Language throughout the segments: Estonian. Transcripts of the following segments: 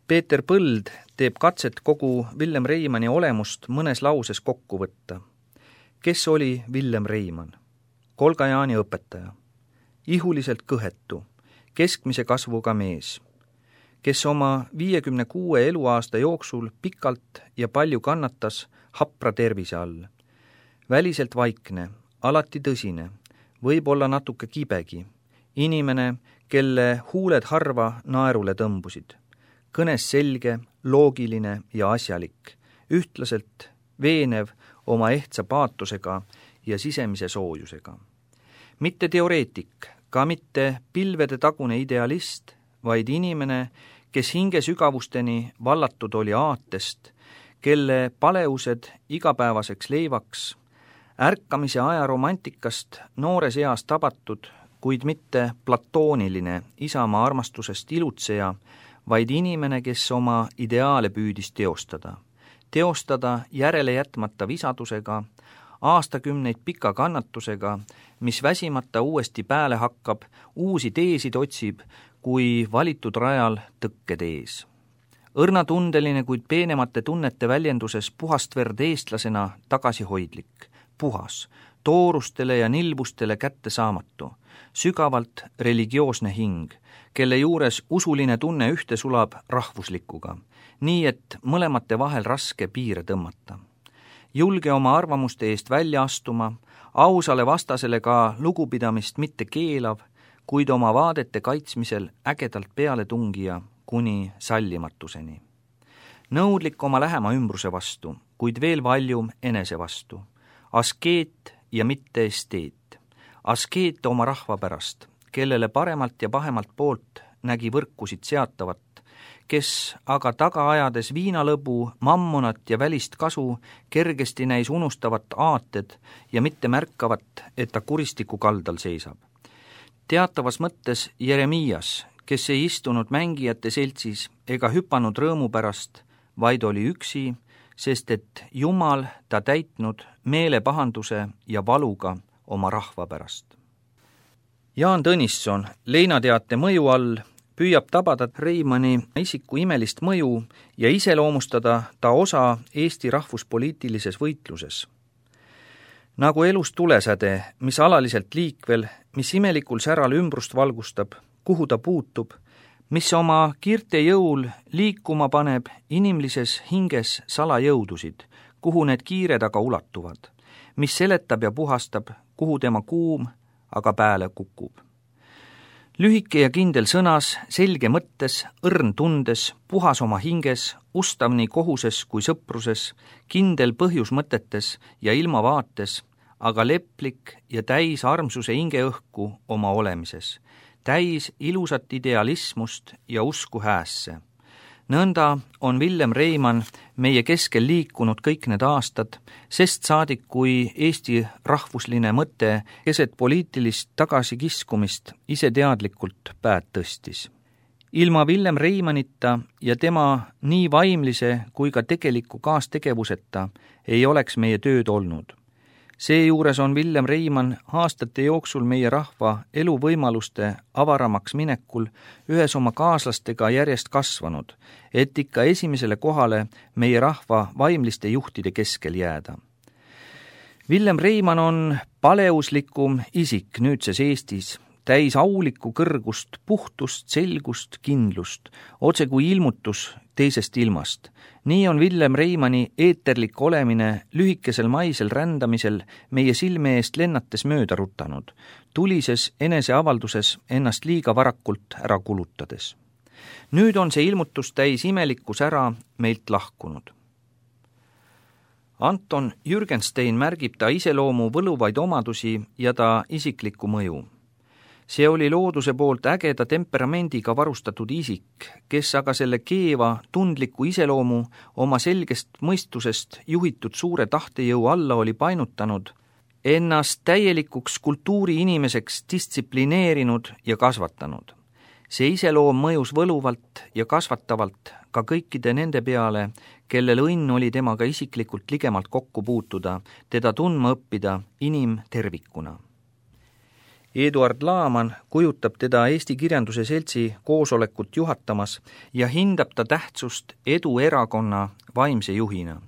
Peeter Põld teeb katset kogu Villem Reimanni olemust mõnes lauses kokku võtta. Kes oli Villem Reimann? Kolgajaani õpetaja. Ihuliselt kõhetu, keskmise kasvuga mees, kes oma 56 eluaasta jooksul pikalt ja palju kannatas hapra tervise all. Väliselt vaikne, alati tõsine, võib-olla natuke kibegi, inimene, kelle huuled harva naerule tõmbusid. Kõnes selge, loogiline ja asjalik, ühtlaselt veenev oma ehtsa paatusega ja sisemise soojusega. Mitte teoreetik, ka mitte pilvede tagune idealist, vaid inimene, kes hinge sügavusteni vallatud oli aatest, kelle paleused igapäevaseks leivaks, ärkamise aja romantikast noores eas tabatud, kuid mitte platooniline isamaa armastusest ilutseja, vaid inimene, kes oma ideaale püüdis teostada. Teostada järele jätmata visadusega, aastakümneid pika kannatusega, mis väsimata uuesti pääle hakkab, uusi teesid otsib, kui valitud rajal tõkked ees. Õrnatundeline, kuid peenemate tunnete väljenduses puhast verd eestlasena tagasihoidlik, puhas, toorustele ja nilbustele kättesaamatu, sügavalt religioosne hing, kelle juures usuline tunne ühte sulab rahvuslikuga, nii et mõlemate vahel raske piire tõmmata. Julge oma arvamuste eest välja astuma, ausale vastasele ka lugupidamist mitte keelav, kuid oma vaadete kaitsmisel ägedalt peale tungija kuni sallimatuseni. Nõudlik oma lähema ümbruse vastu, kuid veel valjum enese vastu. Askeet ja mitte esteet. Askeet oma rahva pärast, kellele paremalt ja pahemalt poolt nägi võrkusid seatavat, kes aga taga ajades viinalõbu, mammonat ja välist kasu kergesti näis unustavat aated ja mitte märkavat, et ta kuristiku kaldal seisab. Teatavas mõttes Jeremias, kes ei istunud mängijate seltsis ega hüpanud rõõmu pärast, vaid oli üksi, sest et Jumal ta täitnud meelepahanduse ja valuga oma rahva pärast. Jaan Tõnisson leinateate mõju all püüab tabada Reimanni isiku imelist mõju ja iseloomustada ta osa Eesti rahvuspoliitilises võitluses. Nagu elus tulesäde, mis alaliselt liikvel, mis imelikul säral ümbrust valgustab, kuhu ta puutub, mis oma kiirte jõul liikuma paneb inimlises hinges salajõudusid, kuhu need kiired aga ulatuvad, mis seletab ja puhastab, kuhu tema kuum aga pääle kukub. Lühike ja kindel sõnas, selge mõttes, õrn tundes, puhas oma hinges, ustav nii kohuses kui sõpruses, kindel põhjus mõtetes ja ilmavaates, aga leplik ja täis armsuse hingeõhku oma olemises, täis ilusat idealismust ja usku häässe. Nõnda on Villem Reimann meie keskel liikunud kõik need aastad, sest saadik, kui Eesti rahvusline mõte keset poliitilist tagasikiskumist ise teadlikult päät tõstis. Ilma Villem Reimannita ja tema nii vaimlise kui ka tegeliku kaastegevuseta ei oleks meie tööd olnud. Seejuures on Villem Reimann aastate jooksul meie rahva eluvõimaluste avaramaks minekul ühes oma kaaslastega järjest kasvanud, et ikka esimesele kohale meie rahva vaimliste juhtide keskel jääda. Villem Reimann on paleuslikum isik nüüdses Eestis, täis aulikku kõrgust, puhtust, selgust, kindlust, otse kui ilmutus teisest ilmast. Nii on Villem Reimanni eeterlik olemine lühikesel maisel rändamisel meie silme eest lennates mööda rutanud, tulises eneseavalduses ennast liiga varakult ära kulutades. Nüüd on see ilmutus täis imelikkus ära meilt lahkunud. Anton Jürgenstein märgib ta iseloomu võluvaid omadusi ja ta isiklikku mõju. See oli looduse poolt ägeda temperamendiga varustatud isik, kes aga selle keeva, tundliku iseloomu oma selgest mõistusest juhitud suure tahtejõu alla oli painutanud, ennast täielikuks kultuuriinimeseks distsiplineerinud ja kasvatanud. See iseloom mõjus võluvalt ja kasvatavalt ka kõikide nende peale, kellel õnn oli temaga isiklikult ligemalt kokku puutuda, teda tundma õppida inimtervikuna. Eduard Laaman kujutab teda Eesti Kirjanduse Seltsi koosolekut juhatamas ja hindab ta tähtsust Edu erakonna vaimse juhina.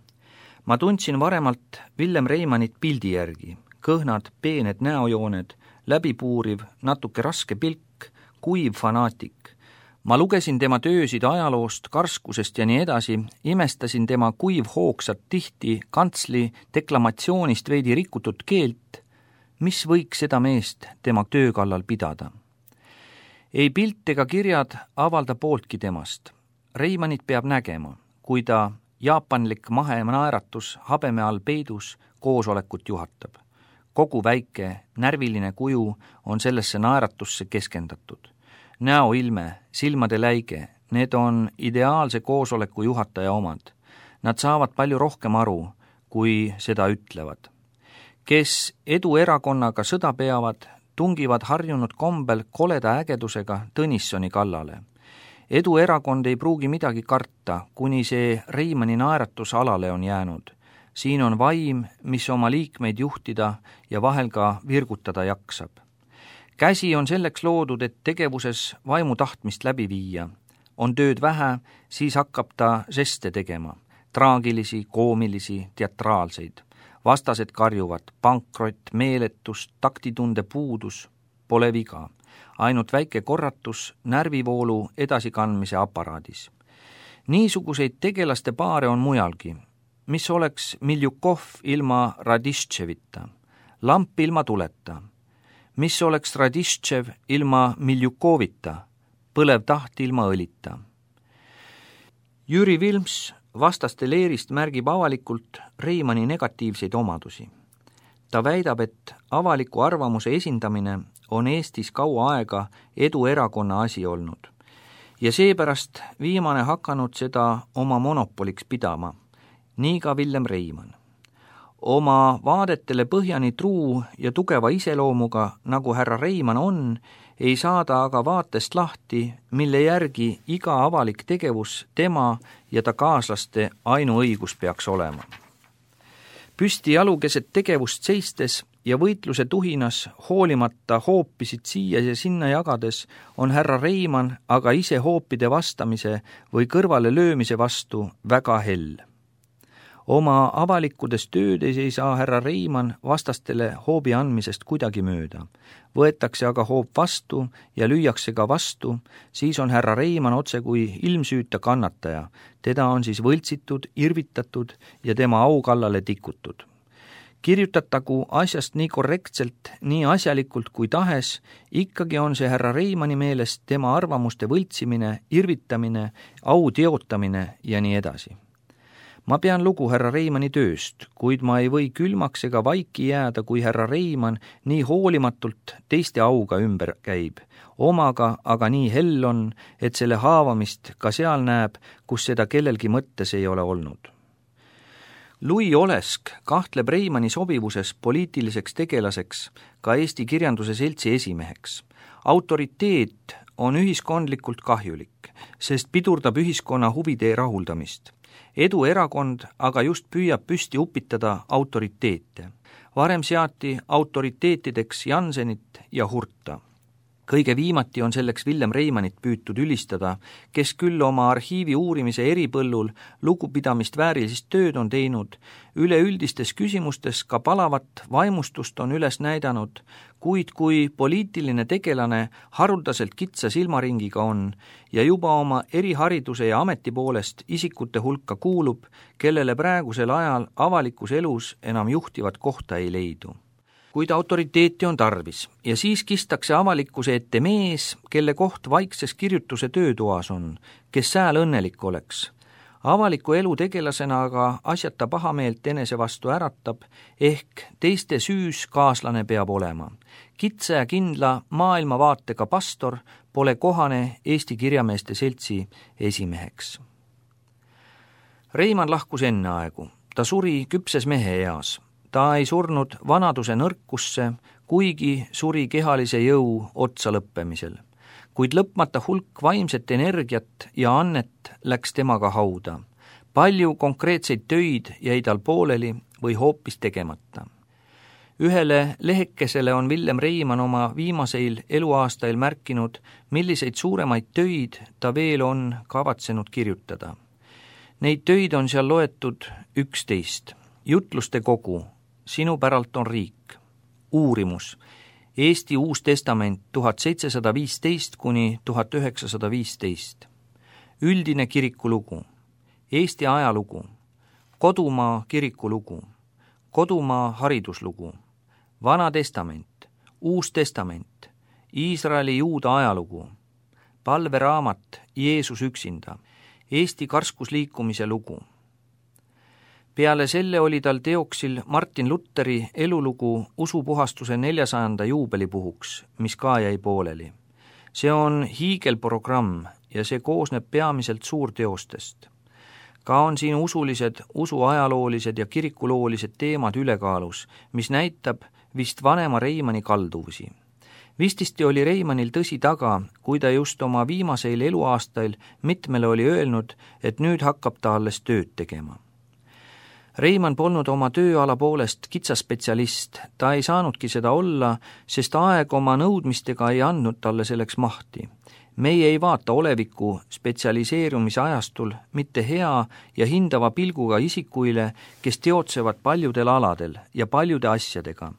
Ma tundsin varemalt Villem Reimannit pildi järgi, kõhnad, peened näojooned, läbipuuriv, natuke raske pilk, kuiv fanaatik. Ma lugesin tema töösid ajaloost, karskusest ja nii edasi, imestasin tema kuivhoogsat tihti kantsli deklamatsioonist veidi rikutud keelt, mis võiks seda meest tema töö kallal pidada. Ei pilt ega kirjad avalda pooltki temast. Reimannit peab nägema, kui ta jaapanlik naeratus habeme all peidus koosolekut juhatab. Kogu väike, närviline kuju on sellesse naeratusse keskendatud. Näoilme, silmade läige, need on ideaalse koosoleku juhataja omad. Nad saavad palju rohkem aru, kui seda ütlevad. Kes Edu erakonnaga sõda peavad, tungivad harjunud kombel koleda ägedusega Tõnissoni kallale. Edu erakond ei pruugi midagi karta, kuni see Reimanni naeratus alale on jäänud. Siin on vaim, mis oma liikmeid juhtida ja vahel ka virgutada jaksab. Käsi on selleks loodud, et tegevuses vaimu tahtmist läbi viia. On tööd vähe, siis hakkab ta žeste tegema. Traagilisi, koomilisi, teatraalseid. Vastased karjuvad, pankrot, meeletus, taktitunde puudus, pole viga. Ainult väike korratus närvivoolu edasikandmise aparaadis. Niisuguseid tegelaste paare on mujalgi. Mis oleks Miljukov ilma Radiščevita, lamp ilma tuleta. Mis oleks Radiščev ilma Miljukovita, põlev taht ilma õlita. Jüri Vilms vastaste leerist märgib avalikult Reimanni negatiivseid omadusi. Ta väidab, et avaliku arvamuse esindamine on Eestis kaua aega Edu erakonna asi olnud ja seepärast viimane hakanud seda oma monopoliks pidama, nii ka Villem Reimann. Oma vaadetele põhjani truu ja tugeva iseloomuga, nagu härra Reimann on, ei saada aga vaatest lahti, mille järgi iga avalik tegevus tema ja ta kaaslaste ainuõigus peaks olema. Püsti jalukeset tegevust seistes ja võitluse tuhinas hoolimata hoopisid siia ja sinna jagades on härra Reimann aga ise hoopide vastamise või kõrvale löömise vastu väga hell. Oma avalikudes töödes ei saa härra Reimann vastastele hoobi andmisest kuidagi mööda. Võetakse aga hoop vastu ja lüüakse ka vastu, siis on härra Reimann otse kui ilmsüüta kannataja. Teda on siis võltsitud, irvitatud ja tema aukallale tikutud. Kirjutatagu asjast nii korrektselt, nii asjalikult kui tahes, ikkagi on see härra Reimanni meelest tema arvamuste võltsimine, irvitamine, au teotamine ja nii edasi. Ma pean lugu härra Reimanni tööst, kuid ma ei või külmaks ega vaiki jääda, kui härra Reimann nii hoolimatult teiste auga ümber käib. Omaga aga nii hell on, et selle haavamist ka seal näeb, kus seda kellelgi mõttes ei ole olnud. Louis Olesk kahtleb Reimanni sobivuses poliitiliseks tegelaseks ka Eesti Kirjanduse Seltsi esimeheks. Autoriteet on ühiskondlikult kahjulik, sest pidurdab ühiskonna huvide rahuldamist. Edu erakond aga just püüab püsti upitada autoriteete. Varem seati autoriteetideks Jansenit ja Hurta. Kõige viimati on selleks Villem Reimannit püütud ülistada, kes küll oma arhiivi uurimise eripõllul lugupidamist väärilist tööd on teinud, üleüldistes küsimustes ka palavat vaimustust on üles näidanud, kuid kui poliitiline tegelane haruldaselt kitsa silmaringiga on ja juba oma erihariduse ja ameti poolest isikute hulka kuulub, kellele praegusel ajal avalikus elus enam juhtivat kohta ei leidu. Kuid autoriteeti on tarvis ja siis kistakse avalikkuse ette mees, kelle koht vaikses kirjutuse töötoas on, kes sääl õnnelik oleks. Avaliku elu tegelasena aga asjata pahameelt enese vastu äratab, ehk teiste süüs kaaslane peab olema. Kitsa ja kindla maailmavaatega pastor pole kohane Eesti Kirjameeste Seltsi esimeheks. Reimann lahkus enne aegu. Ta suri küpses mehe eas. Ta ei surnud vanaduse nõrkusse, kuigi suri kehalise jõu otsa lõppemisel. Kuid lõpmata hulk vaimset energiat ja annet läks temaga hauda. Palju konkreetseid töid jäi tal pooleli või hoopis tegemata. Ühele lehekesele on Villem Reimann oma viimaseil eluaastail märkinud, milliseid suuremaid töid ta veel on kavatsenud kirjutada. Neid töid on seal loetud 11. Jutluste kogu, Sinu päralt on riik, Uurimus, Eesti Uus Testament 1715 kuni 1915, Üldine kirikulugu, Eesti ajalugu, Kodumaa kirikulugu, Kodumaa hariduslugu, Vana Testament, Uus Testament, Iisraeli juuda ajalugu, palveraamat Jeesus üksinda, Eesti karskusliikumise lugu. Peale selle oli tal teoksil Martin Lutheri elulugu usupuhastuse 400. juubelipuhuks, mis ka jäi pooleli. See on hiigelprogramm ja see koosneb peamiselt suurteostest. Ka on siin usulised, usuajaloolised ja kirikuloolised teemad ülekaalus, mis näitab vist vanema Reimanni kalduvusi. Vististi oli Reimannil tõsi taga, kui ta just oma viimaseil eluaastail mitmele oli öelnud, et nüüd hakkab ta alles tööd tegema. Reimann polnud oma tööala poolest kitsaspetsialist, ta ei saanudki seda olla, sest aeg oma nõudmistega ei andnud talle selleks mahti. Meie ei vaata oleviku spetsialiseerumise ajastul mitte hea ja hindava pilguga isikuile, kes teotsevad paljudel aladel ja paljude asjadega,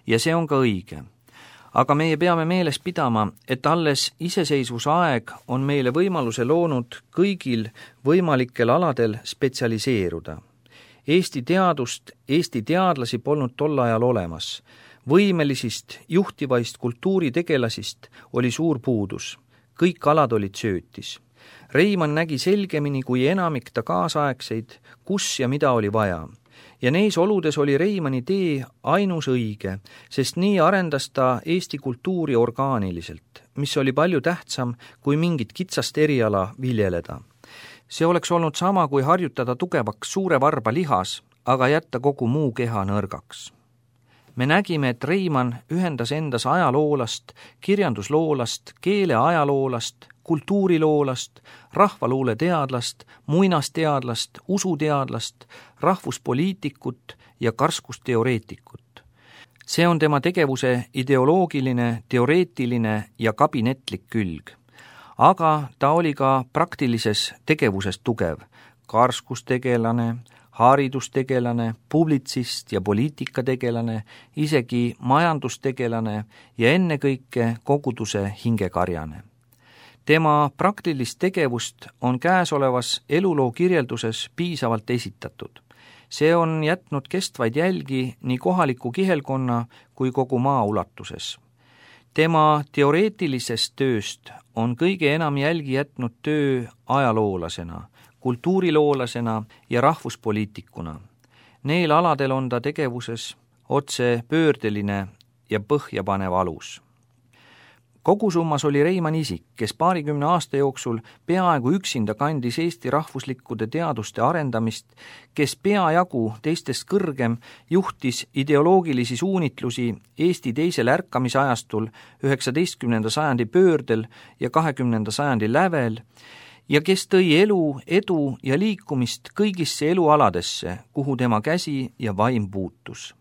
ja see on ka õige. Aga meie peame meeles pidama, et alles iseseisvusaeg on meile võimaluse loonud kõigil võimalikel aladel spetsialiseeruda. Eesti teadust, Eesti teadlasi polnud tol ajal olemas. Võimelisist, juhtivaist kultuuritegelasist oli suur puudus. Kõik alad olid söötis. Reimann nägi selgemini kui enamik ta kaasaegseid, kus ja mida oli vaja. Ja neis oludes oli Reimanni tee ainus õige, sest nii arendas ta Eesti kultuuri orgaaniliselt, mis oli palju tähtsam kui mingit kitsast eriala viljeleda. See oleks olnud sama, kui harjutada tugevaks suure varba lihas, aga jätta kogu muu keha nõrgaks. Me nägime, et Reimann ühendas endas ajaloolast, kirjandusloolast, keeleajaloolast, kultuuriloolast, rahvaluule teadlast, muinasteadlast, usuteadlast, rahvuspoliitikut ja karskusteoreetikut. See on tema tegevuse ideoloogiline, teoreetiline ja kabinetlik külg. Aga ta oli ka praktilises tegevuses tugev, karskustegelane, haridustegelane, publitsist ja poliitikategelane, isegi majandustegelane ja ennekõike koguduse hingekarjane. Tema praktilist tegevust on käesolevas eluloo kirjelduses piisavalt esitatud. See on jätnud kestvaid jälgi nii kohaliku kihelkonna kui kogu maa ulatuses. Tema teoreetilisest tööst on kõige enam jälgi jätnud töö ajaloolasena, kultuuriloolasena ja rahvuspoliitikuna. Neil aladel on ta tegevuses otse pöördeline ja põhjapanev alus. Kogusummas oli Reimann isik, kes 20 aasta jooksul peaaegu üksinda kandis Eesti rahvuslikkude teaduste arendamist, kes peajagu teistest kõrgem juhtis ideoloogilisi suunitlusi Eesti teisel ärkamisajastul 19. sajandi pöördel ja 20. sajandi lävel, ja kes tõi elu, edu ja liikumist kõigisse elualadesse, kuhu tema käsi ja vaim puutus.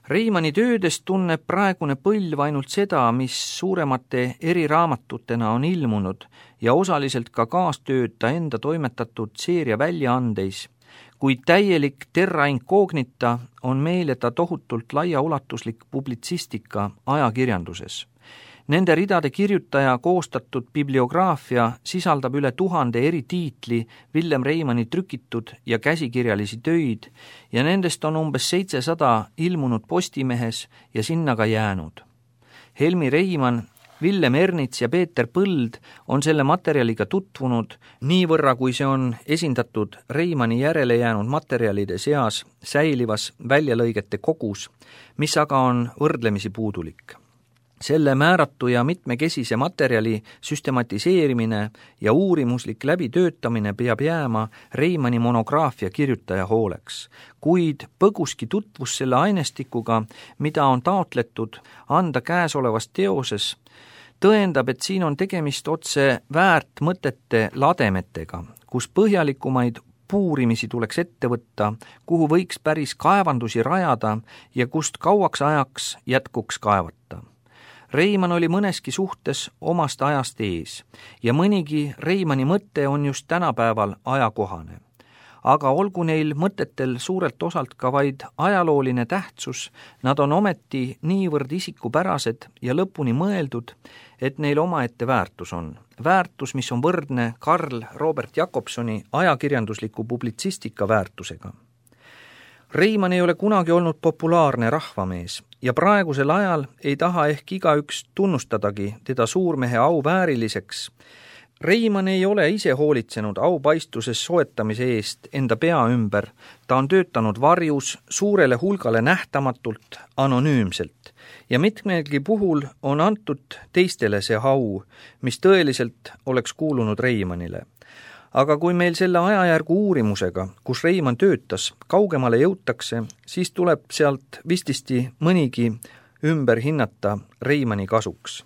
Reimanni töödest tunneb praegune põlv ainult seda, mis suuremate eriraamatutena on ilmunud ja osaliselt ka kaastööd ta enda toimetatud seeria väljaandeis, kuid täielik terra incognita on meile ta tohutult laiaulatuslik publitsistika ajakirjanduses. Nende ridade kirjutaja koostatud bibliograafia sisaldab üle 1000 eri tiitli Villem Reimanni trükitud ja käsikirjalisi töid ja nendest on umbes 700 ilmunud Postimehes ja sinna ka jäänud. Helmi Reimann, Villem Ernits ja Peeter Põld on selle materjaliga tutvunud niivõrra, kui see on esindatud Reimanni järele jäänud materjalide seas säilivas väljalõigete kogus, mis aga on võrdlemisi puudulik. Selle määratu ja mitmekesise materjali süstematiseerimine ja uurimuslik läbitöötamine peab jääma Reimanni monograafia kirjutaja hooleks, kuid põguski tutvus selle ainestikuga, mida on taotletud anda käesolevas teoses, tõendab, et siin on tegemist otse väärt mõtete lademetega, kus põhjalikumaid puurimisi tuleks ette võtta, kuhu võiks päris kaevandusi rajada ja kust kauaks ajaks jätkuks kaevata. Reimann oli mõneski suhtes omast ajast ees ja mõnigi Reimanni mõte on just tänapäeval ajakohane. Aga olgu neil mõtetel suurelt osalt ka vaid ajalooline tähtsus, nad on ometi niivõrd isikupärased ja lõpuni mõeldud, et neil omaette väärtus on. Väärtus, mis on võrdne Karl Robert Jakobsoni ajakirjandusliku publitsistika väärtusega. Reimann ei ole kunagi olnud populaarne rahvamees ja praegusel ajal ei taha ehk igaüks tunnustadagi teda suurmehe auvääriliseks. Reimann ei ole ise hoolitsenud aupaistuses soetamise eest enda pea ümber, ta on töötanud varjus suurele hulgale nähtamatult, anonüümselt ja mitmelgi puhul on antud teistele see au, mis tõeliselt oleks kuulunud Reimannile. Aga kui meil selle ajajärgu uurimusega, kus Reimann töötas, kaugemale jõutakse, siis tuleb sealt vististi mõnigi ümber hinnata Reimanni kasuks.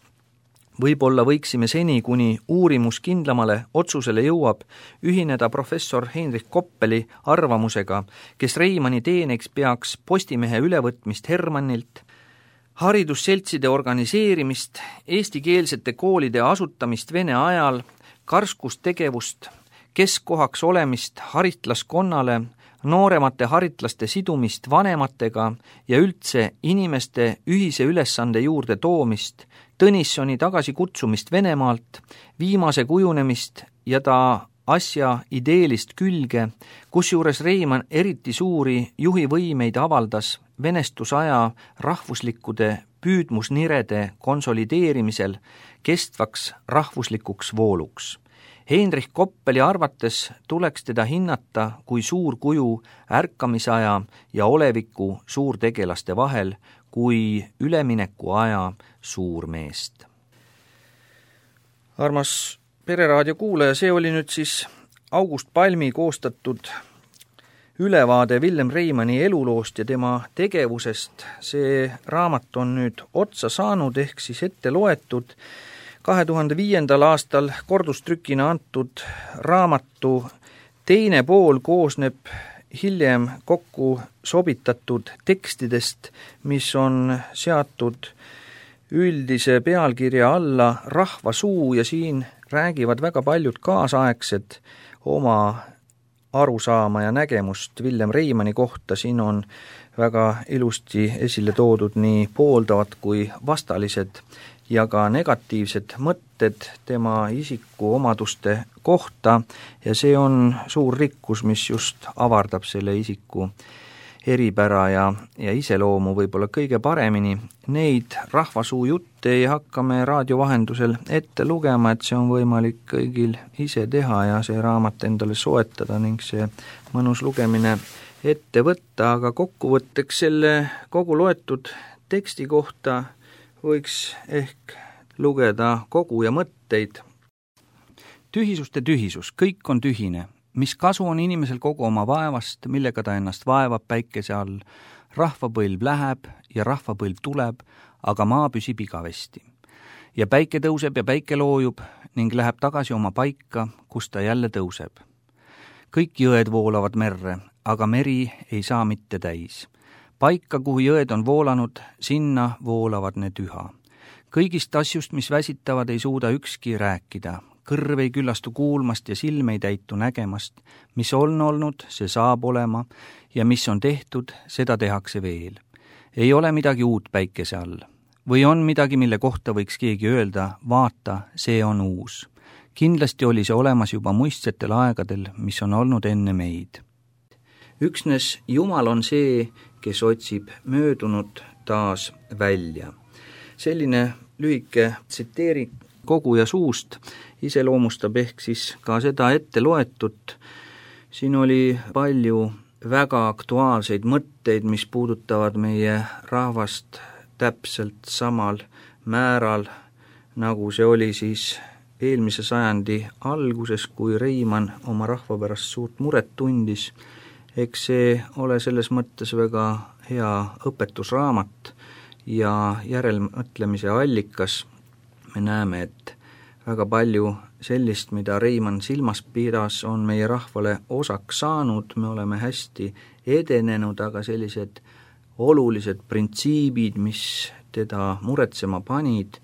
Võib-olla võiksime seni, kuni uurimus kindlamale otsusele jõuab, ühineda professor Heinrich Koppeli arvamusega, kes Reimanni teeneks peaks Postimehe ülevõtmist Hermannilt, haridusseltside organiseerimist, eestikeelsete koolide asutamist vene ajal, karskustegevust, keskkohaks olemist haritlaskonnale, nooremate haritlaste sidumist vanematega ja üldse inimeste ühise ülesande juurde toomist, Tõnissoni tagasi kutsumist Venemaalt, viimase kujunemist ja ta asja ideelist külge, kusjuures Reimann eriti suuri juhivõimeid avaldas venestusaja rahvuslikkude püüdmusnirede konsolideerimisel kestvaks rahvuslikuks vooluks. Heinrich Koppeli arvates tuleks teda hinnata kui suur kuju ärkamisaja ja oleviku suurtegelaste vahel, kui ülemineku aja suurmeest. Armas Pereraadio kuulaja, see oli nüüd siis August Palmi koostatud ülevaade Villem Reimanni eluloost ja tema tegevusest. See raamat on nüüd otsa saanud ehk siis ette loetud. 2005. aastal kordustrükina antud raamatu teine pool koosneb hiljem kokku sobitatud tekstidest, mis on seatud üldise pealkirja alla Rahva suu ja siin räägivad väga paljud kaasaegsed oma arusaama ja nägemust Villem Reimanni kohta. Siin on väga ilusti esile toodud nii pooldavad kui vastalised ja ka negatiivsed mõtted tema isiku omaduste kohta ja see on suur rikkus, mis just avardab selle isiku eripära ja iseloomu võib-olla kõige paremini. Neid rahvasuu jutte ei hakka me raadio vahendusel ette lugema, et see on võimalik kõigil ise teha ja see raamat endale soetada ning see mõnus lugemine ette võtta, aga kokkuvõtteks selle kogu loetud teksti kohta võiks ehk lugeda kogu ja mõtteid. Tühisuste tühisus, kõik on tühine. Mis kasu on inimesel kogu oma vaevast, millega ta ennast vaevab päikese all? Rahvapõlv läheb ja rahvapõlv tuleb, aga maa püsib igavesti. Ja päike tõuseb ja päike loojub ning läheb tagasi oma paika, kus ta jälle tõuseb. Kõik jõed voolavad merre, aga meri ei saa mitte täis. Paika, kuhu jõed on voolanud, sinna voolavad need üha. Kõigist asjust, mis väsitavad, ei suuda ükski rääkida. Kõrv ei küllastu kuulmast ja silm ei täitu nägemast. Mis on olnud, see saab olema ja mis on tehtud, seda tehakse veel. Ei ole midagi uut päikese all. Või on midagi, mille kohta võiks keegi öelda, vaata, see on uus. Kindlasti oli see olemas juba muistsetel aegadel, mis on olnud enne meid. Üksnes Jumal on see, kes otsib möödunut taas välja. Selline lühike tsiteering kogu ja suust iseloomustab ehk siis ka seda ette loetut. Siin oli palju väga aktuaalseid mõtteid, mis puudutavad meie rahvast täpselt samal määral, nagu see oli siis eelmise sajandi alguses, kui Reimann oma rahva pärast suurt muret tundis. Eks see ole selles mõttes väga hea õpetusraamat ja järelmõtlemise allikas. Me näeme, et väga palju sellist, mida Reimann silmas pidas, on meie rahvale osaks saanud, me oleme hästi edenenud, aga sellised olulised printsiibid, mis teda muretsema panid,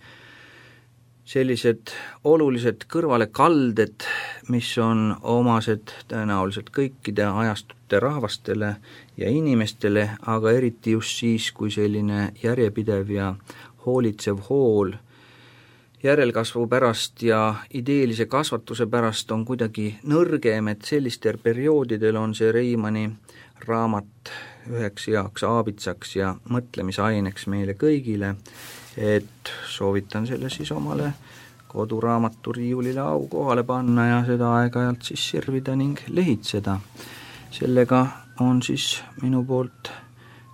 sellised olulised kõrvalekalded, mis on omased tõenäoliselt kõikide ajastute rahvastele ja inimestele, aga eriti just siis, kui selline järjepidev ja hoolitsev hool järelkasvu pärast ja ideelise kasvatuse pärast on kuidagi nõrgem, et sellistel perioodidel on see Reimanni raamat üheks heaks aabitsaks ja mõtlemisaineks meile kõigile, et soovitan selle siis omale koduraamatu riiulile au kohale panna ja seda aeg-ajalt siis sirvida ning lehitseda. Sellega on siis minu poolt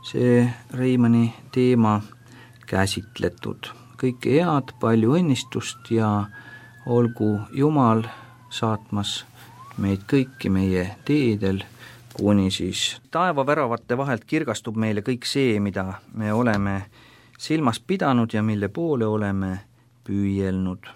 see Reimanni teema käsitletud. Kõike head, palju õnnistust ja olgu Jumal saatmas meid kõiki meie teedel, kuni siis taevaväravate vahelt kirgastub meile kõik see, mida me oleme silmas pidanud ja mille poole oleme püüelnud.